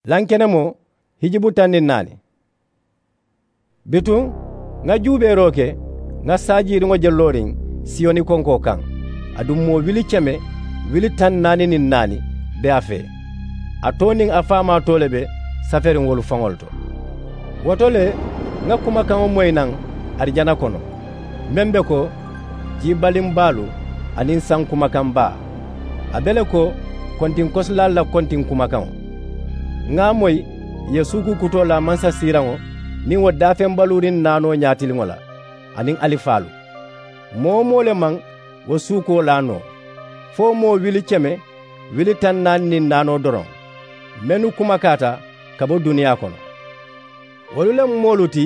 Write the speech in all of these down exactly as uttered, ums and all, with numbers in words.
Lankenemoo hijibu taŋ niŋ naani. Bituŋ ŋa juubeeroo ke, ŋa saajiiriŋo je looriŋ siyoni konkoo kaŋ. Aduŋ moo wili keme wili taŋ naani niŋ naani be a fee. A too niŋ a faamaa too le be saferiŋ wolu faŋolu to. Wo to le ŋa kumakaŋo moyi naŋ arijana kono, meŋ be ko, jii baliŋ baalu aniŋ saŋ kumakaŋ baa. A be le ko kontiŋ kosilaalu la kontiŋ kumakaŋo. Ŋa a moyi ì ye suukuu kutoo laa mansasiiraŋo niŋ wo daafeŋ baluuriŋ naanoo ñaatiliŋo la, aniŋ alifaalu. Moo-wo-moo le maŋ wo suukuwo laa noo, fo moo wili keme wili taŋ naani niŋ naanoo doroŋ, mennu kumakaata ka bo duniyaa kono. Wolu le mu moolu ti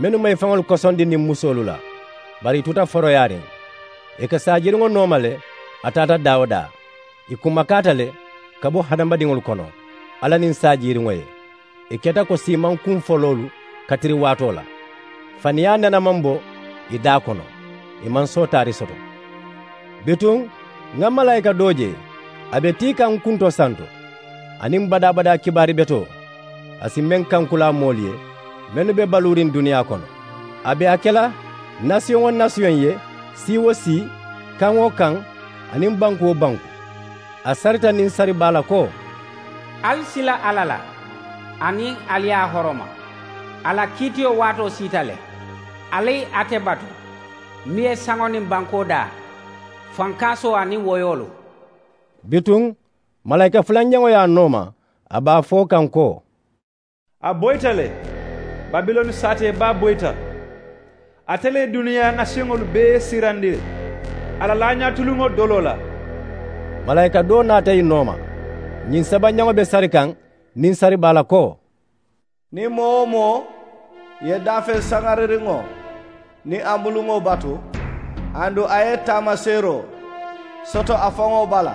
mennu maŋ ì faŋolu kosondi niŋ musoolu la, bari ì tuta foroyaariŋ. Ì ka saajiriŋo nooma le, a taata daa-wo-daa. Ì kumakaata le ka bo hadamadiŋolu kono, alla niŋ saajiiriŋo ye. Ì keta ko siimaŋ kuŋ foloolu katiri waatoo la. Faniyaa nene maŋ bo ì daa kono, ì maŋ sootaari soto. Bituŋ ŋa malaayika doo je, a be tii kaŋ n kunto santo, aniŋ badaa-badaa kibaari betoo. A si meŋ kankulaa moolu ye mennu be baluuriŋ duniyaa kono. A be a ke la nasiyoŋ-wo-nasiyoŋ ye, sii-wo-sii, kaŋ-wo-kaŋ, aniŋ banku-wo-banku. A sarita niŋ sari baa la ko, ali sila alla la, aniŋ ali ye a horoma. A la kiitiyo waatoo siita le. Ali ate batu, meŋ ye saŋo niŋ bankoo daa, fankaasoo aniŋ woyoolu. Bituŋ malaayika fulanjaŋo ye a nooma, a be a fo kaŋ ko, a boyita le. Babiloni saatee baa boyita. Ate le ye duniyaa nasiyoŋolu bee siirandi a la laañaatiliŋo doloo la. Malaayika doo naata ì nooma, ñiŋ sabanjaŋo be sari kaŋ niŋ sari baa la ko, niŋ moo-wo-moo ye daafeŋ saŋaririŋo niŋ a muluŋo batu, aduŋ a ye taamaseeroo soto a faŋo bala,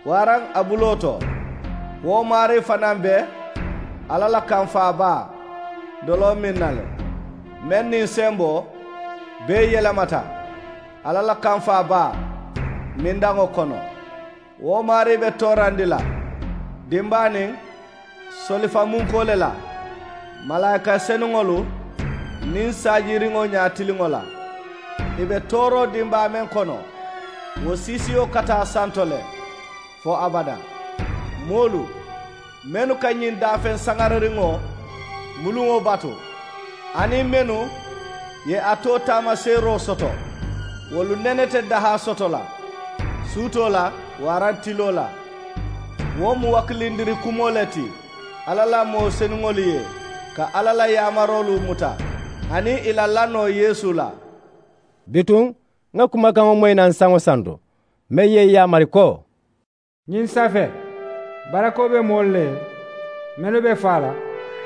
waraŋ a buloo to, wo maarii fanaa be alla la kamfaa baa doloo miŋ na le, meŋ niŋ semboo bee yelemata alla la kamfaa baa mindaŋo kono. Wo maarii be toorandi la dimbaa niŋ solifamunkoo le la, malaayika senuŋolu niŋ saajiiriŋo ñaatiliŋo la. Ì be tooroo dimbaa meŋ kono, wo siisiyo ka taa santo le fo abadaa. Moolu mennu ka ñiŋ daafeŋ saŋaririŋo muluŋo batu, aniŋ mennu ye a too taamaseeroo soto, wolu nene te dahaa soto la suutoo la waraŋ tiloo la. Wo mu wakilindiri kumoo le ti alla la moo senuŋolu ye, ka alla la yaamaroolu muta aniŋ ì la lannoo yeesu la. Bituŋ ŋa kumakaŋo moyi naŋ saŋo santo, meŋ ye ì yaamari ko, ñiŋ safee barakoo be moolu le ye mennu be faa la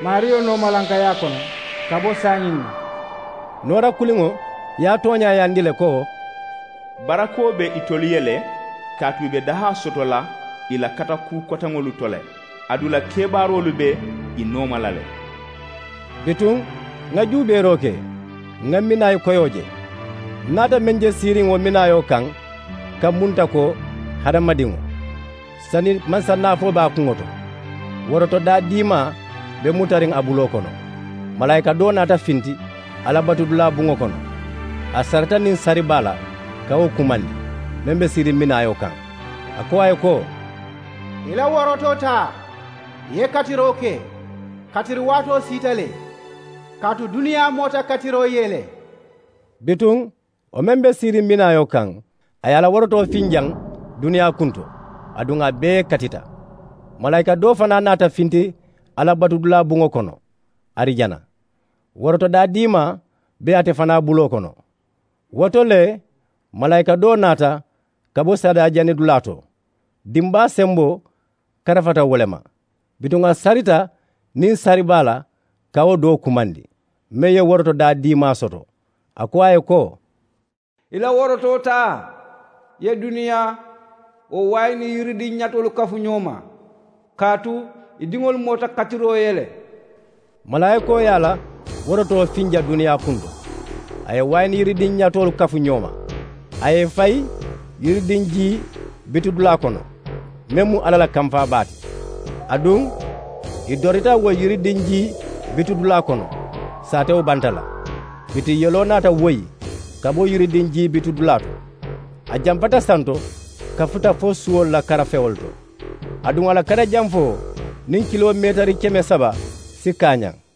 maariyo noomalankayaa kono ka bo saayiŋ na. Noora kuliŋo ye a tooñaayandi le ko, barakoo be itolu ye le, kaatu ì be dahaa soto la ì la katakuu koteŋolu to le, aduŋ ì la kebaaroolu be ì nooma la le. Bituŋ ŋa juubeeroo ke, ŋa minaayi koyoo je. N naata meŋ je siiriŋ wo minaayoo kaŋ, ka munta ko hadamadiŋo, sani mansa naafoo be a kuŋo to. Woroto daa diimaa be mutariŋ a buloo kono. Malaayika doo naata finti a la batudulaa buŋo kono. A sarita niŋ sari baa la ka wo kumandi, meŋ be siiriŋ minaayoo kaŋ. A ko a ye ko, i la worotoo taa, i ye katiroo ke. Katiri waatoo siita le, kaatu duniyaa moota katiroo ye le. Bituŋ wo meŋ be siiriŋ minaayoo kaŋ, a ye a la worotoo finjaŋ duniyaa kunto, aduŋ a bee katita. Malaayika doo fanaa naata finti a la batudulaa buŋo kono arijana. Woroto daa diimaa be ate fanaa buloo kono. Wo to le malaayika doo naata ka bo sariyaa janidulaa to. Dimbaa semboo karafata wo le ma. Bituŋ a sarita niŋ sari baa la ka wo doo kumandi, meŋ ye woroto daa diimaa soto. A ko a ye ko, i la worotoo taa, ye duniyaa wo waayi niŋ yiridiŋ ñatoolu kafu ñoo ma, kaatu ì diŋolu moota katiroo ye le. Malaayikoo ye a la worotoo finja duniyaa kunto, a ye waayi niŋ yiridiŋ ñatoolu kafu ñoo ma. A ye ì fayi yiridiŋ jii bitudulaa kono, meŋ mu alla la kamfaa baa ti. Aduŋ I dorita wo yiridiŋ jii bitudulaa kono. Saatewo banta la. Biti yeloo naata woyi ka bo yiridiŋ jii bitudulaa to. A jampata santo ka futa fo suwolu la karafewolu to. Aduŋ a la karajanfoo niŋ kiloo meetari keme saba si kaañaŋ.